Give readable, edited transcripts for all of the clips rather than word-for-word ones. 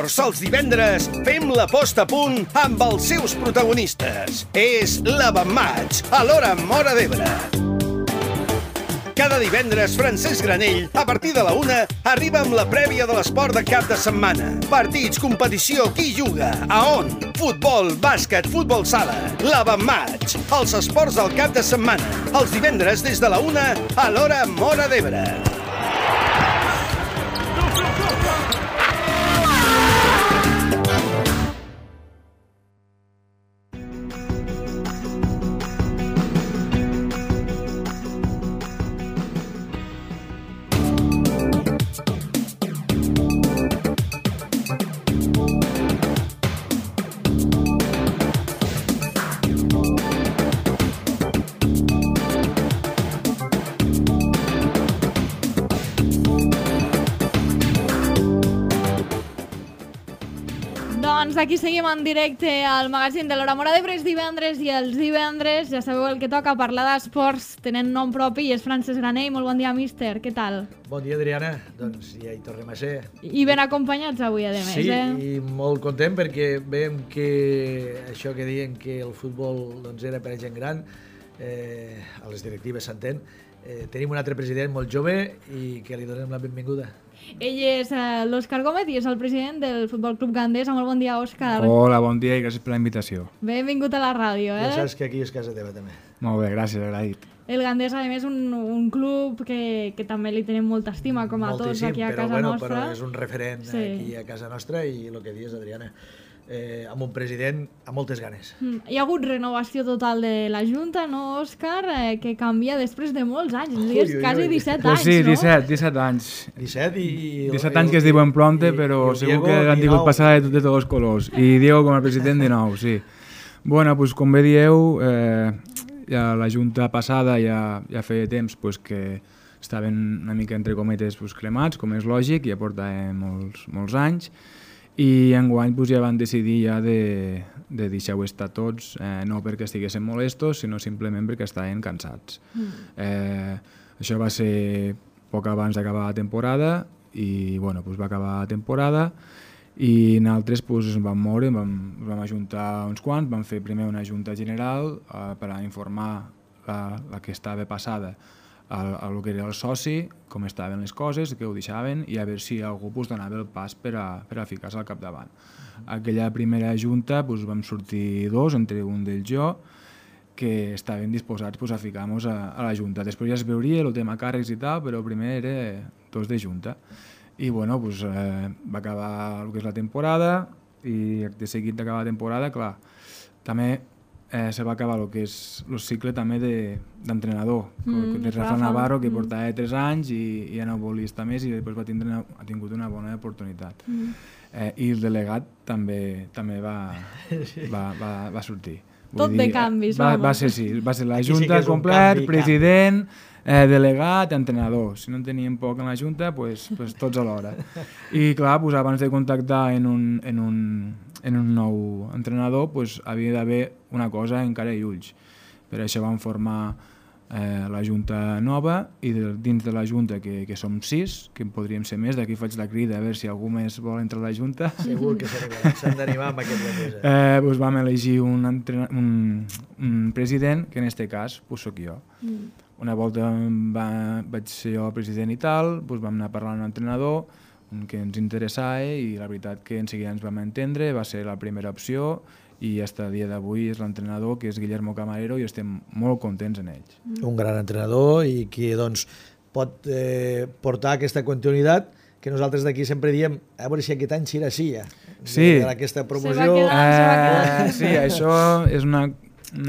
esports els divendres fem la posta a punt amb els seus protagonistes. És l'Avantmatx, a l'hora Móra d'Ebre. Cada divendres, Francesc Granell, a partir de la 1, arriba amb la prèvia de l'esport de cap de setmana. Partits, competició, qui juga, a on? Futbol, bàsquet, futbol sala. L'Avantmatx, els esports del cap de setmana. Els divendres des de la 1 a l'hora Móra d'Ebre. Doncs aquí seguim en directe al magazín de l'Hora Móra d'Ebre. És divendres i els divendres, ja sabeu el que toca, parlar d'esports, tenen nom propi, i és Francesc Granell. Molt bon dia, míster, què tal? Bon dia, Adriana. Doncs ja hi tornem a ser. I ben acompanyats avui, a més, sí, i molt content perquè veiem que això que diuen que el futbol doncs, era per a gent gran, a les directives s'entén, tenim un altre president molt jove i que li donem la benvinguda. Ell és l'Òscar Gómez i és el president del Futbol Club Gandesa. Molt bon dia, Òscar. Hola, bon dia i gràcies per la invitació. Benvingut a la ràdio. Ja saps que aquí és casa teva, també. Molt bé, gràcies, agraït. El Gandesa, a més, un club que també li tenim molta estima, com a tots aquí a casa nostra. Però és un referent aquí a casa nostra i el que dius, Adriana, amb un president amb moltes ganes. Hi ha hagut renovació total de la Junta, no, Òscar? Que canvia després de molts anys, quasi 17 anys, sí, no? 17 anys. 17 anys que es diuen prompte, però segur que han tingut passada de tots els colors. I Diego com a president 19, sí. Bueno, doncs com bé dieu, ja la Junta passada ja feia temps que estaven una mica entre cometes cremats, com és lògic, ja porta molts anys, i enguany ja van decidir de deixar-ho estar tots, no perquè estiguessin molestos, sinó simplement perquè estaven cansats. Això va ser poc abans d'acabar la temporada, i va acabar la temporada, i nosaltres ens vam moure, vam ajuntar uns quants, vam fer primer una junta general per a informar la que estava passada a lo que era el soci, com estaven les coses, què ho deixaven, i a veure si algú donava el pas per a ficar-se al capdavant. Aquella primera junta vam sortir dos, entre un d'ells jo, que estaven disposats a ficar-nos a la junta. Després ja es veuria el tema càrrecs i tal, però primer era dos de junta. I va acabar el que és la temporada, i de seguit d'acabar la temporada, clar, també se va acabar el que és el cicle també d'entrenador, de Rafa Navarro, que portava 3 anys i ja no volia estar més, i després ha tingut una bona oportunitat. I el delegat també va sortir. Tot de canvis. Va ser la Junta complet, president, delegat, entrenador. Si no en teníem poc en la Junta, tots alhora. I clar, abans de contactar en un nou entrenador havia d'haver una cosa en cara i ulls. Per això vam formar la Junta nova, i dins de la Junta, que som 6, que en podríem ser més, d'aquí faig la crida a veure si algú més vol entrar a la Junta. Segur que s'han d'animar amb aquest Gandesa. Vam elegir un president, que en aquest cas soc jo. Una volta vaig ser jo president i tal, vam anar parlant amb l'entrenador, que ens interessava, i la veritat que en seguida ens vam entendre, va ser la primera opció, i fins al dia d'avui és l'entrenador, que és Guillermo Camarero, i estem molt contents en ells. Un gran entrenador i que pot portar aquesta continuïtat que nosaltres d'aquí sempre diem, a veure si aquest any serà així ja, d'aquesta promoció. Se va quedant. Sí, això és una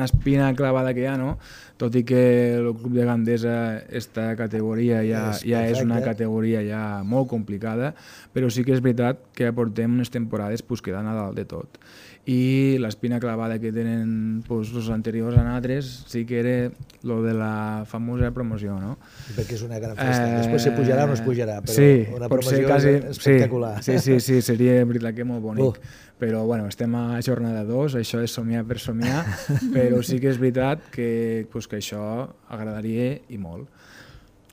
espina clavada que hi ha, no? Tot i que el club de Gandesa, aquesta categoria ja és una categoria ja molt complicada, però sí que és veritat que portem unes temporades quedant a dalt de tot. I l'espina clavada que tenen els anteriors a nosaltres sí que era lo de la famosa promoció, no? Perquè és una gran festa. Després se pujarà o no es pujarà, però sí, una promoció espectacular. Sí, seria veritat que molt bonic. Però bueno, estem a jornada 2, això és somiar per somiar, però sí que és veritat que això agradaria i molt.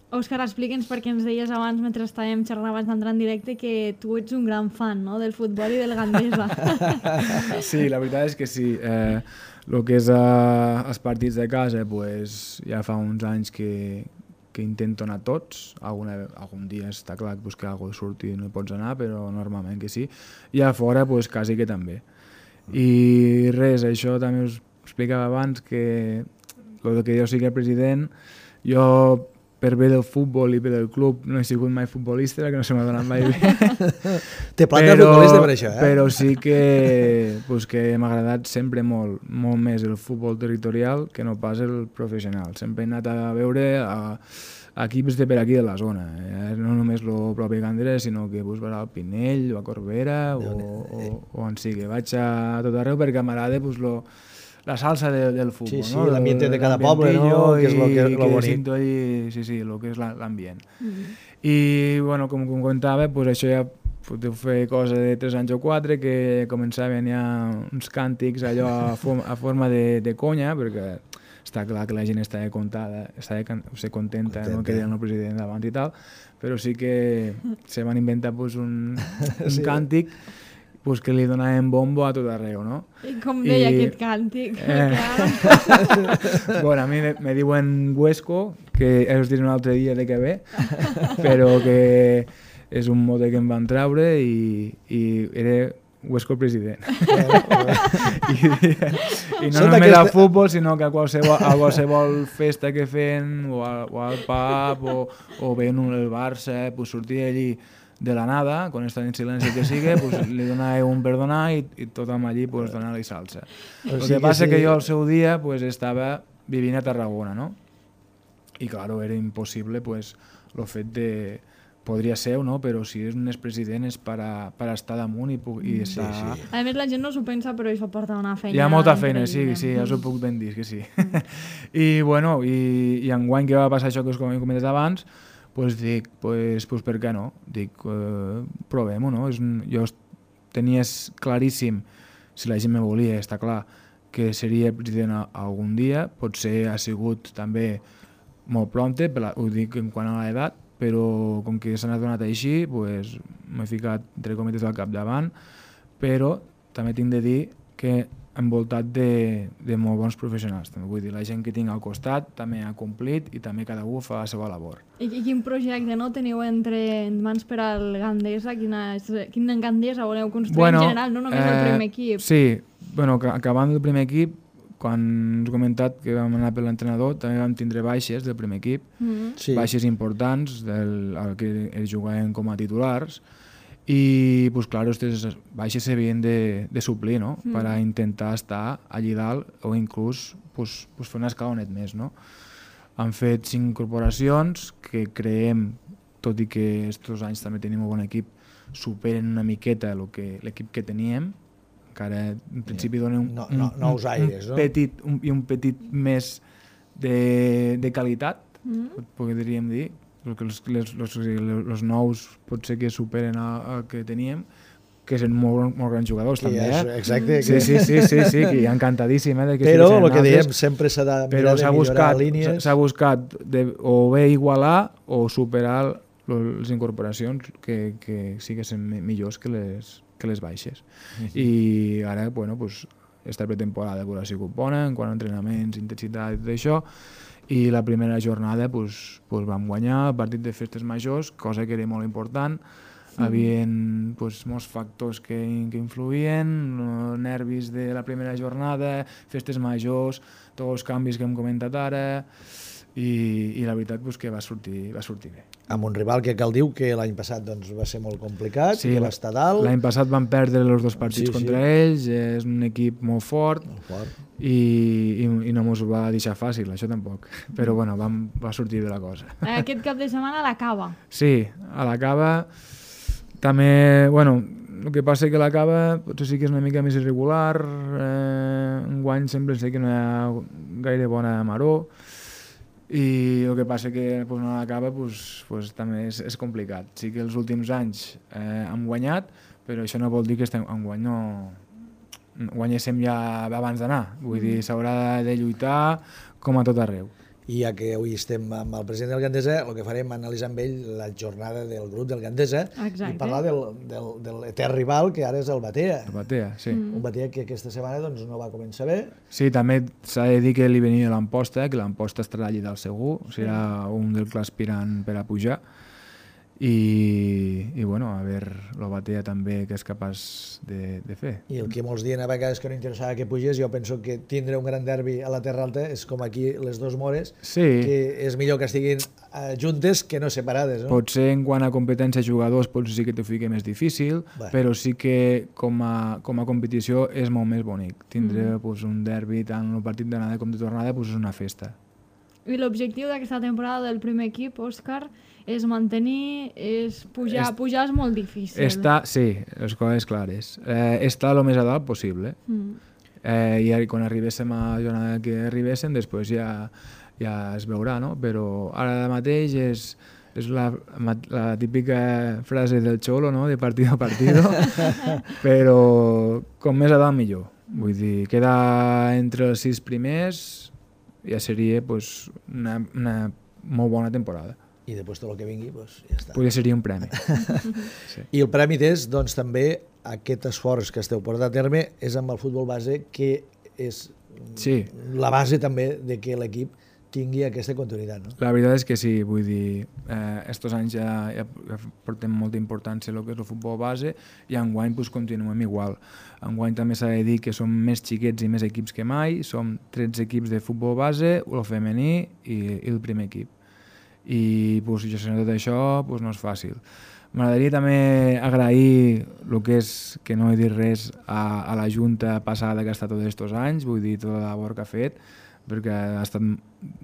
Òscar, explica'ns, perquè ens deies abans, mentre estàvem xerrant abans d'entrar en directe, que tu ets un gran fan, no?, del futbol i del Gandesa. Sí, la veritat és que sí. El que és els partits de casa, pues, ja fa uns anys que intento anar tots. Algun dia està clar que algú surti i no hi pots anar, però normalment que sí. I a fora, pues, quasi que també. I res, això també us explicava abans, que el que jo sigui el president, jo per bé del futbol i per del club no he sigut mai futbolista, que no se m'ha donat mai bé. Té planta de futbolista per això, Però sí que m'ha agradat sempre molt més el futbol territorial que no pas el professional. Sempre he anat a veure equips de per aquí de la zona. No només el propi Gandesa, sinó que vas al Pinell o a Corbera o on sigui. Vaig a tot arreu perquè m'agrada la salsa del futbol, sí, no? l'ambient de cada poble, no? Que és el bonic. Sí, el que és l'ambient. I, bueno, com comentava, això ja deu fer cosa de 3 anys o 4, que començaven ja uns càntics allò a forma de conya, perquè està clar que la gent estava contenta, no que deien el president davant i tal, però sí que se van inventar un càntic que li donaven bombo a tot arreu, no? I com deia aquest càntic? Bueno, a mi me diuen Huesco, que us diré un altre dia de què ve, però que és un mote que em van treure i era Huesco president. I no només al futbol, sinó que a qualsevol festa que feien, o al pub, o veien el Barça, sortia allí de la nada, quan estan en silenci que sigui, li donava un perdonar i tothom allí donar-li salsa. El que passa que jo al seu dia estava vivint a Tarragona, no? I clar, era impossible el fet de... Podria ser, no? Però si és un expresident és per estar damunt i estar... A més, la gent no s'ho pensa, però això porta una feina... Hi ha molta feina, sí, ja us ho puc ben dir, que sí. I, bueno, i enguany que va passar això que us he comentat abans, dic, per què no? Dic, provem-ho, no? Jo tenia claríssim, si la gent me volia, està clar, que seria president algun dia, potser ha sigut també molt prompte, ho dic en quant a l'edat, però com que s'ha donat així, m'he ficat, entre cometes, al capdavant, però també tinc de dir que envoltat de molt bons professionals. També vull dir, la gent que tinc al costat també ha complit i també cada un fa la seva labor. I quin projecte teniu entre mans per al Gandesa? Quin Gandesa voleu construir en general, no només el primer equip? Sí, acabant el primer equip, quan us he comentat que vam anar per l'entrenador, també vam tindre baixes del primer equip, baixes importants, que ells jugaven com a titulars, i, clar, aquestes baixes s'havien de suplir, no?, per a intentar estar allí dalt o inclús fer un escalonet més, no? Han fet 5 incorporacions que creiem, tot i que aquests anys també tenim un bon equip, superen una miqueta l'equip que teníem, encara en principi donen un petit més de qualitat, podríem dir, perquè els nous potser que superen el que teníem, que són molt grans jugadors també, Exacte. Sí, que hi ha encantadíssim. Però el que dèiem, sempre s'ha de mirar de millorar línies. S'ha buscat o bé igualar o superar les incorporacions que sí que són millors que les baixes. I ara, esta pretemporada ha sigut bona, en quant a entrenaments, intensitat i tot això, i la primera jornada vam guanyar el partit de festes majors, cosa que era molt important. Hi havia molts factors que influïen, nervis de la primera jornada, festes majors, tots els canvis que hem comentat ara, i la veritat que va sortir bé. Amb un rival que cal dir que l'any passat va ser molt complicat, que va estar dalt. L'any passat van perdre els 2 partits contra ells, és un equip molt fort. I no ens ho va deixar fàcil, això tampoc. Però va sortir bé la cosa. Aquest cap de setmana a la Cava. Sí, a la Cava també, el que passa que la Cava potser sí que és una mica més irregular, enguany sempre sé que no hi ha gaire bona maror, i el que passa que a la Cava també és complicat. Sí que els últims anys hem guanyat, però això no vol dir que enguany no guanyéssim ja abans d'anar. Vull dir, s'haurà de lluitar com a tot arreu. i ja que avui estem amb el president del Gandesa, el que farem és analitzar amb ell la jornada del grup del Gandesa i parlar del etern rival, que ara és el Batea. El Batea, sí. Un Batea que aquesta setmana doncs, no va començar bé. Sí, també s'ha de dir que li venia l'Amposta, que l'Amposta estarà allí del segur, serà un del clar aspirant per a pujar. I bueno, a veure el Batea també que és capaç de fer. I el que molts diuen a vegades que no interessava que pugés, jo penso que tindre un gran derbi a la Terra Alta és com aquí les dos Mores, que és millor que estiguin juntes que no separades. No? Potser en quant a competència de jugadors potser sí que t'ho fica més difícil, però sí que com a competició és molt més bonic. Tindre un derbi tant el partit d'anada com de tornada és una festa. I l'objectiu d'aquesta temporada del primer equip, Òscar, és mantenir, és pujar. Pujar és molt difícil. Sí, les coses clares. Estar el més a dalt possible. I quan arribéssim a la jornada que arribéssim, després ja es veurà, no? Però ara mateix és la típica frase del Xolo, no? De partido a partido, però com més a dalt millor. Vull dir, quedar entre els 6 primers ja seria una molt bona temporada. I després tot el que vingui, ja està. Potser seria un premi. Sí. I el premi és, doncs, també aquest esforç que esteu portant a terme és amb el futbol base, que és la base també de que l'equip tingui aquesta continuïtat. No? La veritat és que sí, vull dir, estos anys ja portem molta importància el que és el futbol base i enguany continuem igual. Enguany també s'ha de dir que som més xiquets i més equips que mai, som 13 equips de futbol base, el femení i el primer equip. I gestionar tot això no és fàcil. M'agradaria també agrair el que és, que no he dit res, a la Junta passada que ha estat tots aquests anys, vull dir, tota la labor que ha fet, perquè ha estat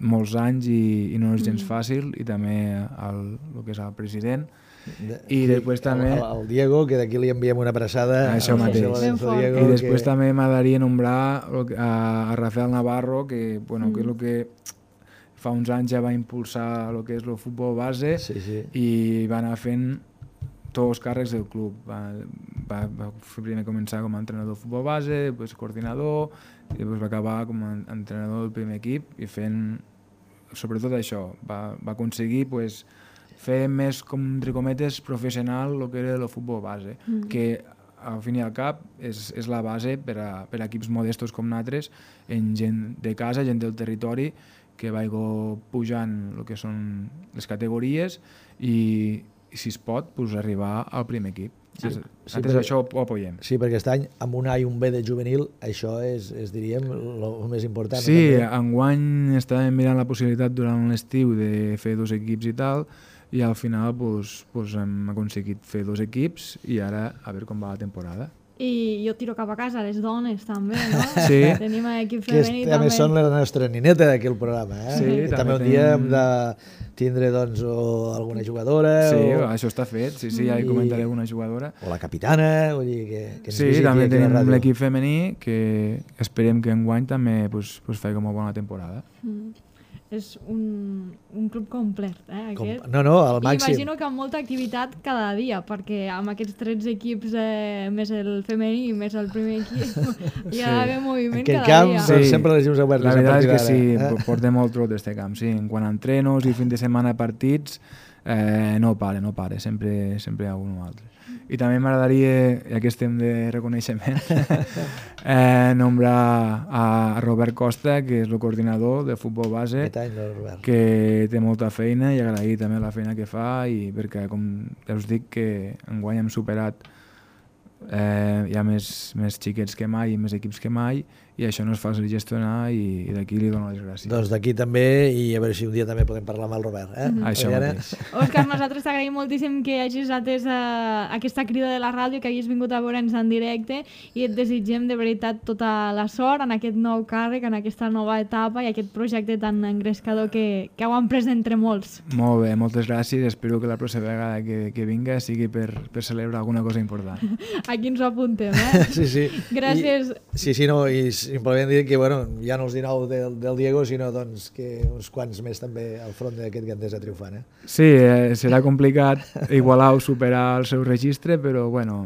molts anys i no és gens fàcil, i també el que és el president. I després també... El Diego, que d'aquí li enviem una abraçada. Això mateix. I després també m'agradaria nombrar a Rafael Navarro, que és el que fa uns anys ja va impulsar el que és el futbol base i va anar fent tots els càrrecs del club. Va primer començar com a entrenador de futbol base, després coordinador, i després va acabar com a entrenador del primer equip i fent, sobretot això, va aconseguir fer més, com entre cometes, professional el que era el futbol base, que al fin i al cap és la base per a equips modestos com nosaltres, en gent de casa, gent del territori, que vagi pujant el que són les categories i si es pot, arribar al primer equip. Nosaltres això ho apoyem. Sí, perquè aquest any, amb un A i un B de juvenil, això és diríem, el més important. Sí, enguany estàvem mirant la possibilitat durant l'estiu de fer 2 equips i tal, i al final hem aconseguit fer 2 equips i ara a veure com va la temporada. I jo tiro cap a casa les dones també, no? Sí. Tenim equip femení també. Que també són la nostra nineta d'aquí el programa, eh? Sí, també un dia hem de tindre alguna jugadora. Sí, això està fet, sí, ja hi comentaré alguna jugadora. O la capitana, vull dir que sí, també tenim l'equip femení, que esperem que enguany també faci una bona temporada. És un club complet, aquest. No, al màxim. Imagino que amb molta activitat cada dia, perquè amb aquests 13 equips, més el femení i més el primer equip, hi ha d'haver moviment cada dia. Aquest camp sempre les llums obertes. La veritat és que sí, portem molt trot d'aquest camp, sí. En quant a entrenos i fin de setmana partits, no para, sempre hi ha un o altre. I també m'agradaria, ja que estem de reconeixement, nombrar a Robert Costa, que és el coordinador de futbol base, que té molta feina, i agrair també la feina que fa, i perquè, com ja us dic, que enguany hem superat hi ha més xiquets que mai i més equips que mai, i això no és fàcil gestionar, i d'aquí li dono les gràcies. Doncs d'aquí també, i a veure si un dia també podem parlar amb el Robert. Això mateix. Òscar, nosaltres t'agraïm moltíssim que hagis atès aquesta crida de la ràdio, que hagis vingut a veure'ns en directe, i et desitgem de veritat tota la sort en aquest nou càrrec, en aquesta nova etapa i aquest projecte tan engrescador que heu emprès entre molts. Molt bé, moltes gràcies. Espero que la pròxima vegada que vinga sigui per celebrar alguna cosa important. Aquí ens ho apuntem, eh? Sí. Gràcies. I simplement dir que, bueno, ja no els 19 del Diego, sinó doncs, que uns quants més també al front d'aquest Gandesa triomfant, eh? Sí, serà complicat igualar o superar el seu registre, però bueno,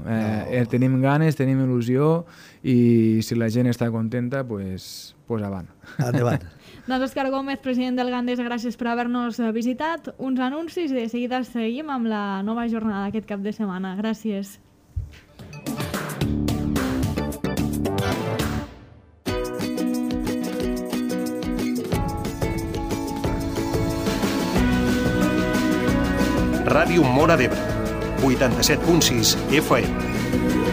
tenim ganes, tenim il·lusió i si la gent està contenta, pues avant. Endavant. Doncs Òscar Gómez, president del Gandesa, gràcies per haver-nos visitat. Uns anuncis i de seguida seguim amb la nova jornada d'aquest cap de setmana. Gràcies. Ràdio Móra d'Ebre, 87.6 FM.